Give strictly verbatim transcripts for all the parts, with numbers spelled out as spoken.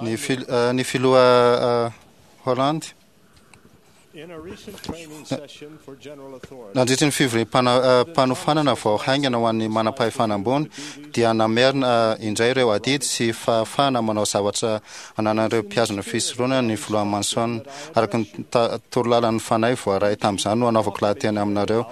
Ny fil- eh, ny filoha eh, Holland. In a recent training session for general authorities, Nandritry ny fivoriam-panofanana vao haingana ho an'ny manam-pahefana ambony dia namerina eh, indray ireo adidy sy fahafahana manao zavatra ananan'ireo mpihazona fisoronana ny filoha Monson. Araka ny ta- torolalan'ny fanahy voaray tamin'izany no anaovako lahateny aminareo.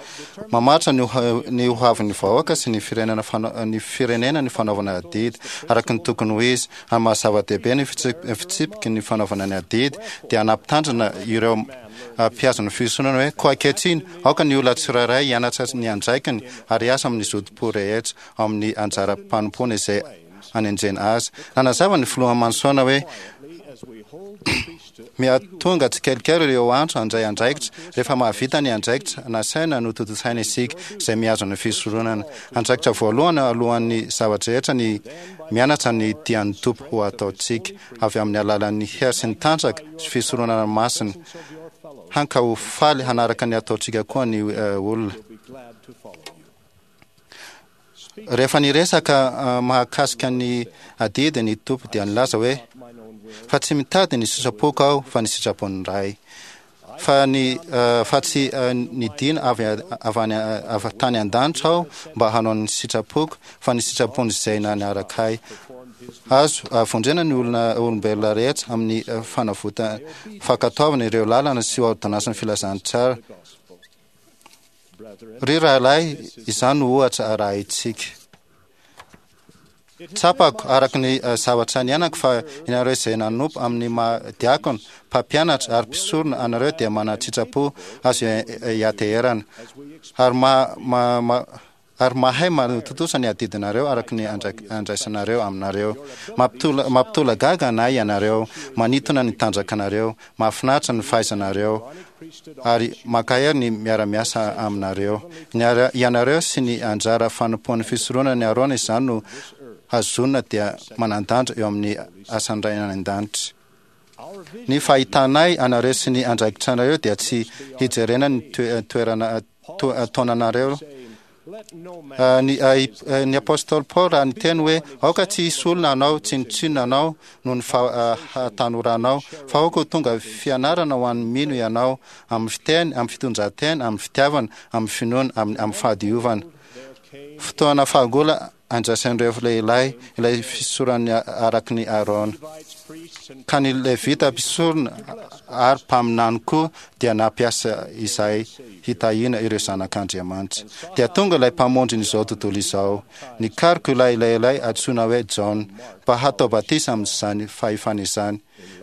Mamaritra ny ho- ny hoavin'ny vahoaka sy ny firenena fana- ny firenena ny fanaovana adidy araka ny tokony ho izy. Amin'ny maha zava-dehibe ny fitsip- fitsipiky ny fanaovana ny adidy dia nampitandrina ireo mpihazona fisoronana hoe: "Koa ankehitriny, aoka ny olona tsirairay hianatra ny andraikiny ary hiasa amin'ny zotom-po rehetra ao amin'ny anjara-panompoana izay anendrena azy." Nanazava ny filoha Monson hoe as we hold the priesthood, mihatonga tsikelikely ireo antso handray andraikitra rehefa mahavita ny andraikitra nasaina no tontosaina isika izay mihazona fisoronana. Andraikitra voalohany alohan'ny zavatra rehetra ny mianatra ny tian'ny Tompo ho ataontsika avy amin'ny alalan'ny hery sy ny tanjaka sy fisoronana masina of your fellows hany ka ho faly hanaraka ny ataontsika koa ny eh, olona. will be glad to follow you. Rehefa niresaka eh, mahakasika ny adidy ny Tompo dia nilaza hoe: Mine own will, "Fa tsy mitady ny sitrapoko aho fa ny sitrapon'ny Ray. Fa ny eh, fa tsy eh, nidina avy avy any avy tany an-danitra aho mba hanao ny sitrapoko fa ny sitrapony izay naniraka ahy." performed his Azo eh, vonjena ny olona olombelona rehetra amin'ny eh, fanavota fankatoavana ireo lalana sy ôrdônansin'ny filazantsara. gospel. Brethren, Ry rahalahy, izany no ohatra arahintsika. Tsapako araka ny eh, zavatra niainako fa ianareo izay nanompo amin'ny maha diakona, mpampianatra ary mpisorona anareo dia manan-tsitrapo azo ianteherana as we expect ary ma, ma, ma, ary mahay manatontosa ny adidinareo araka ny andra- andraisanareo aminareo. Mampitola- mampitolagaga anay ianareo, manintona ny tanjakanareo, mahafinaritra ny fahaizanareo priesthood ary mankahery ny miara-miasa aminareo. Ny ara- ianareo sy ny anjara fanompoan'ny fisoronana ny Arona izany no hazonina dia manan-danja eo amin'ny asan'ny Ray any an-danitra. our vision Ny fahitanay anareo sy ny andraikitranareo dia tsy hijerena ny toe- toerana to- taonanareo. saying, "Let no man Ah, ny ah, i- eh, ny apôstôly Paul raha niteny hoe: "Aoka tsy hisy olona anao tsinontsinona anao noho ny fahatanoranao, fa aoka ho tonga fianarana ho an'ny mino ianao amin'ny fiteny, amin'ny fitondran-tena, amin'ny fitiavana, amin'ny finoana, amin'ny amin'ny fahadiovana." There came Fotoana fahagola andraisan'ireo lehilahy ilay fisoronana araka ny Arona. Levites, priests, and Ka ny Levita, mpisorona ary mpaminany koa dia nampiasa izay hitahiana ireo zanak'Andriamanitra. Dia tonga ilay mpamonjin'izao tontolo izao. Nikaroka ilay lehilahy antsoina hoe Jaona mba hatao batisa amin'izany fahefana izany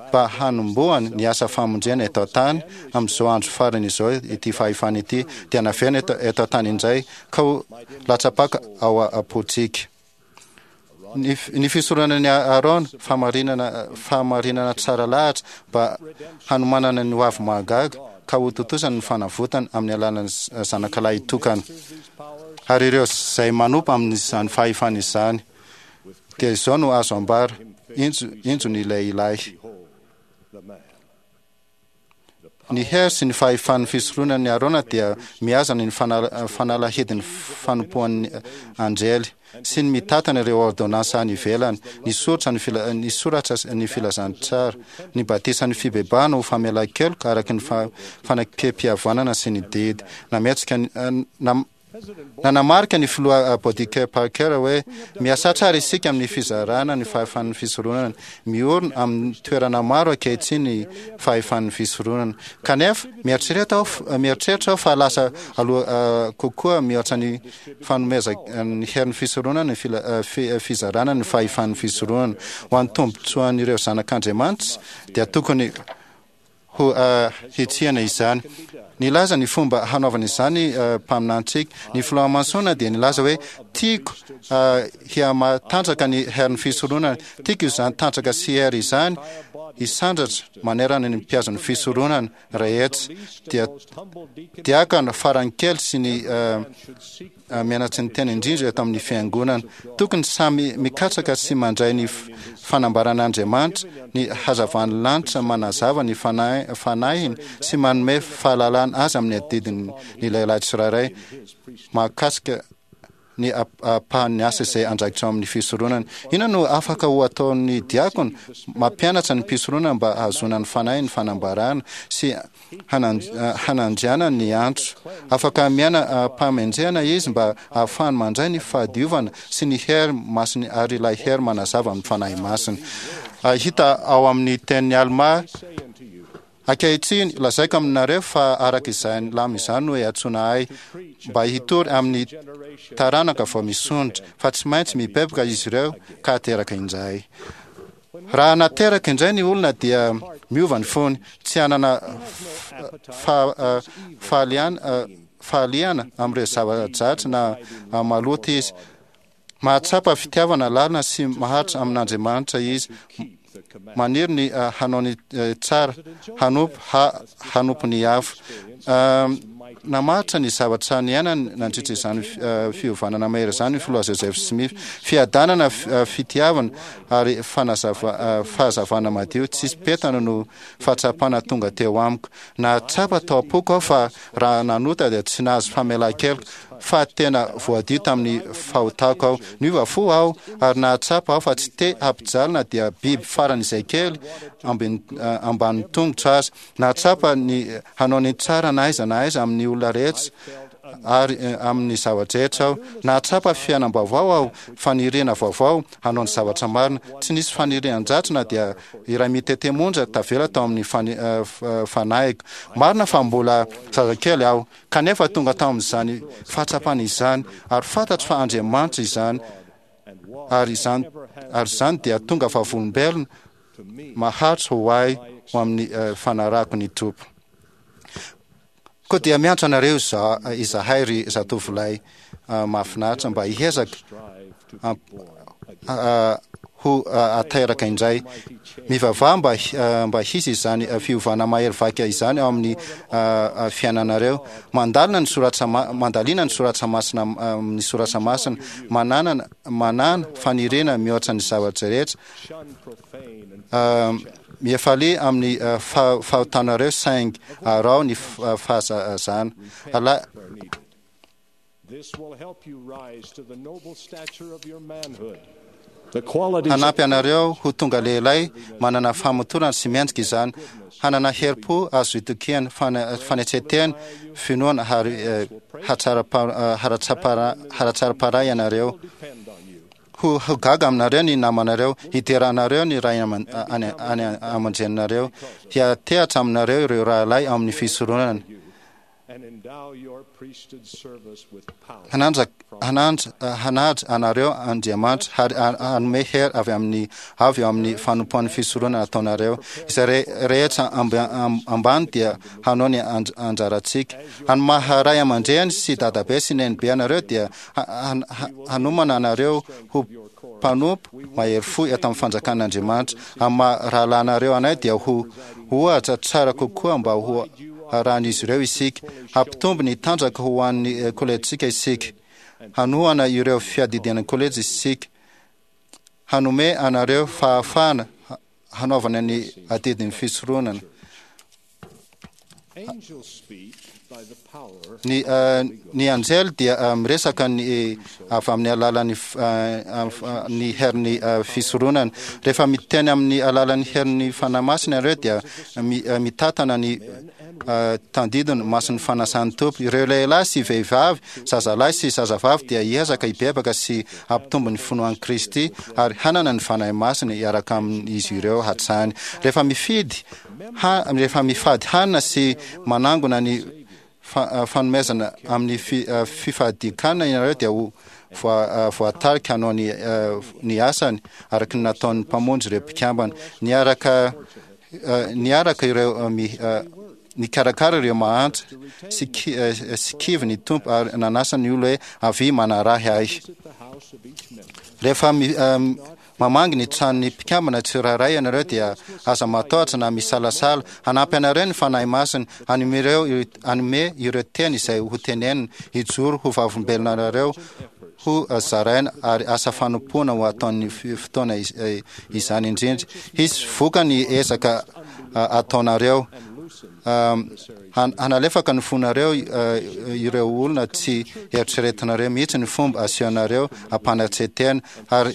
mba hanombohany ny asa famonjena eto an-tany amin'izao andro farany izao. Ity fahefana ity dia naverina eto eto an-tany indray ka ho latsa-paka ao am-pontsika. Ny, ny fisoronana ny Arona, fahamarinana fahamarinana tsara lahatra mba hanomanana ny hoavy mahagaga ka ho tontosany ny fanavotana amin'ny alalan'ny zanakalahy tokana. these powers Ary ireo izay manompo amin'izany fahefana izany dia izao no azo ambara: injo injo ny lehilahy. Behold the man. Ny hery sy ny fahefan'ny fisoronana ny Arona dia mihazona ny fanala- fanalahidin'ny fanompoan'ny anjely sy ny mitantana ireo ôrdônansa any ivelany, ny soratra ny fila- ny soratra ny filazantsara, ny batisan'ny fibebahana ho famelan-keloka araka ny fa- fanekempihavanana sy ny didy nametsika ny- eh, nam- President Nanamarika ny filoha Boddieker Parker hoe miasa tsara isika amin'ny fizarana ny fahefan'ny fisoronana. Miorina amin'ny toerana maro ankehitriny ny fahefan'ny fisoronana, kanefa mieritreritra aho f- mieritreritra aho fa lasa aloha eh, kokoa mihoatra ny fanomeza ny herin'ny fisoronana ny fila- eh, fi- eh, fizarana ny fahefan'ny fisoronana ho an'ny tombontsoan'ireo zanak'Andriamanitra dia tokony ho uh, hitsiana izany. Nilaza ny fomba hanaovana izany uh, mpaminantsika. Ny filoha Monson dia nilaza hoe: "Tiako uh, hihamatanjaka ny herin'ny fisoronana. Tiako izany tanjaka sy hery izany hisandratra manerana ny mpihazon'ny fisoronana rehetra, dia humble deacon diakana farany kely sy ny uh, should seek uh, mianatsy ny tena indrindra eto amin'ny fiangonana. Tokony samy mikatsaka sy mandray ny f- fanambaran'Andriamanitra, ny hazavan'ny lanitra manazava ny fanahy- fanahiny sy manome fahalalana azy amin'ny adidiny ny lehilahy tsirairay his priesthood. mahakasika ny ampahan'ny asa izay andraikitra ao amin'ny fisoronana. Inona no afaka ho ataon'ny diakona? Mampianatra ny mpisoronana mba hahazoana ny fanahy ny fanambarana sy hanandriana ny antso. Afaka miaina am-pahamendrehana izy mba hahafahany mandray ny fahadiovana sy ny hery masiny ary ilay hery manazava amin'ny Fanahy Masina. Hita ao amin'ny tenin'i Almà. Ankehitriny, lazaiko aminareo fa araka izany lamina izany no iantsoana ahy mba hitory amin'ny taranaka vao misondrotra, fa tsy maintsy mibebaka izy ireo ka ateraka indray. Raha nateraka indray ny olona dia miova ny fony, tsy hanana fahaliana amin'ireo zava-dratsy na maloto izy. Mahatsapa fitiavana lalina sy maharitra amin'Andriamanitra izy, maniry ny hanao ny tsara, hanompo, hanompo ny hafa. Namaritra ny zavatra niainany nandritra izany fiovana mahery izany ny Filoha Joseph Smith. Fiadanana, fitiavana ary fahazavana madio tsisy petana no fahatsapana tonga teo amiko. Nahatsapa tao am-poko aho fa raha nanota dia tsy nahazo famelan-keloka, fa tena voadio tamin'ny fahotako aho. Niova fo aho ary nahatsapa aho fa tsy te hampijaly na dia biby faran'izay kely ambanin'ny tongotro aza. Nahatsapa ny hanao ny tsara na aiza na aiza amin'ny olona rehetra ary amin'ny zava-drehetra aho. Nahatsapa fiainam-baovao aho, faniriana vaovao hanao ny zavatra marina. Tsy nisy fanirian-dratsy na dia iray mitete monja tavela tao amin'ny fanahiko. Marina fa mbola zazakely aho, kanefa tonga tao amin'izany fahatsapana izany, ary fantatro fa Andriamanitra izany, ary izany, ary izany dia tonga vavolombelona maharitra ho ahy ho amin'ny fanarahako ny Tompo. Koa dia miantso anareo izahay, ry zatovolahy mahafinaritra, mba hiezaka ho ateraka indray. Mivavaha mba mba hisy izany fiovana mahery vaika izany ao amin'ny fiainanareo. Mandalina ny soratra mandalina ny soratra masina ny soratra masina. Manana manana faniriana mihoatra ny zavatra rehetra. Mifalia amin'ny fahotanareo saingy araho ny fahazazana. Allah. Hanampy anareo ho tonga lehilahy manana famotorana sy mendrika izany, hanana herim-po azo itokiana, fanetren-tena, finoana ary haratsaram-panahy ianareo. Ho gaga aminareo ny namanareo, hidera anareo ny ray aman-dreninareo, hiantehatra aminareo ireo rahalahy ao amin'ny fisoronana. Hananja, hananja, hanaja anareo Andriamanitra ary hanome hery avy amin'ny avy eo amin'ny fanompoan'ny fisoronana ataonareo. Izay rehetra ambany dia hanao ny anjarantsika. Any maha ray aman-dreny sy dadabe sy nenibe anareo dia hanomana anareo ho mpanompo mahery fo eto amin'ny fanjakan'Andriamanitra. Amin'ny maha rahalahinareo anay dia ho ohatra tsara kokoa mba ho arahan'izy ireo isika. Hampitombo ny tanjaka ho an'ny kolejintsika isika. Hanohana ireo fiadidiana ny kolejy isika. Hanome anareo fahafahana hanaovana ny adidin'ny fisoronana. Ny ny anjely dia miresaka ny avy amin'ny alalan'ny ny herin'ny fisoronana. Rehefa miteny amin'ny alalan'ny herin'ny Fanahy Masina ianareo dia mitatana ny tandindona masin'ny fanasan'ny Tompo. Ireo lehilahy sy vehivavy, zazalahy sy zazavavy dia hiezaka hibebaka sy hampitombo ny finoan'i Kristy ary hanana ny Fanahy Masina hiaraka amin'izy ireo hatrany. Rehefa mifidy Ha, rehefa mifady hanina sy manangona ny fanomezana amin'ny fifadian-kanina ianareo dia ho voatarika hanao ny, ny asany araka ny nataon'ny Mpamonjy ireo mpikambana. Niaraka, niaraka ireo nikarakara ireo mahantra sy, sy kivy ny Tompo ary nanasa ny olona hoe avia manarahy ahy. Rehefa Mamangy ny tranon'ny mpikambana tsirairay ianareo dia aza matahotra na misalasala. Hanampy anareo ny Fanahy Masina, hanome ireo, hanome ireo teny izay ho tenenina, hijoro ho vavolombelona anareo, ho zaraina ary asa fanompoana ho ataon'ny fotoana izany indrindra. Hisy vokany ny ezaka ataonareo. Hanalefaka ny fonareo ireo olona tsy eritreretinareo mihitsy ny fomba asehonareo ampanetren-tena, ary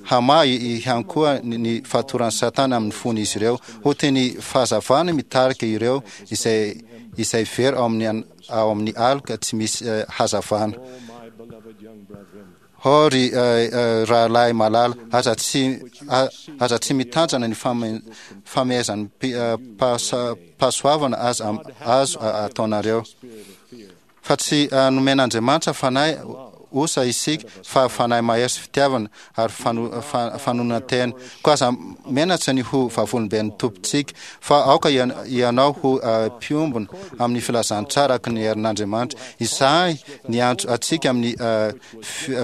hamaha ihany koa ny fatoran'i Satana amin'ny fon'izy ireo, ho toy ny fahazavana mitarika ireo izay izay very ao amin'ny ao amin'ny aloka tsy misy hazavana. Ô ry rahalahy malala, aza tsy aza tsy mitanjana ny famehezan'ny pahasoavana aza azo ataonareo. Fa tsy nomen'Andriamanitra fanahy osa isika, fa fanahy mahery sy fitiavana ary fanonan-tena. Koa aza menatra ny ho vavolombelon'ny Tompontsika, fa aoka ianao ho mpiombona amin'ny filazantsara araka ny herin'Andriamanitra. Izahay niantso antsika amin'ny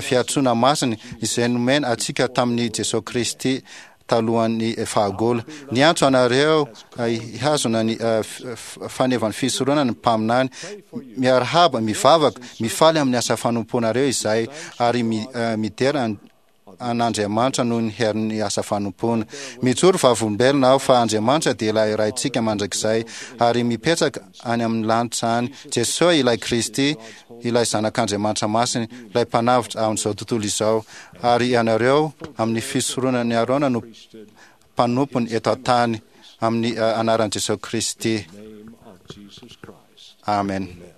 fiantsoana masina izay nomena antsika tamin'i Jesoa Kristy talohan'ny fahagola. Niantso anareo hihazona ny fanevan'ny fisoronana ny mpaminany. Miarahaba, mivavaka, mifaly amin'ny asa fanompoanareo izahay, ary midera an'Andriamanitra noho ny herin'ny asa fanompoana. Mijoro vavolombelona aho fa Andriamanitra dia ilay Raintsika mandrakizay ary mipetraka any amin'ny lanitra any. Jesoa ilay Kristy, ilay Zanak'Andriamanitra Masina, ilay Mpanavotra amin'izao tontolo izao, ary ianareo amin'ny fisoronan'i Arona no mpanompony eto an-tany, amin'ny anaran'i Jesoa Kristy. Amen.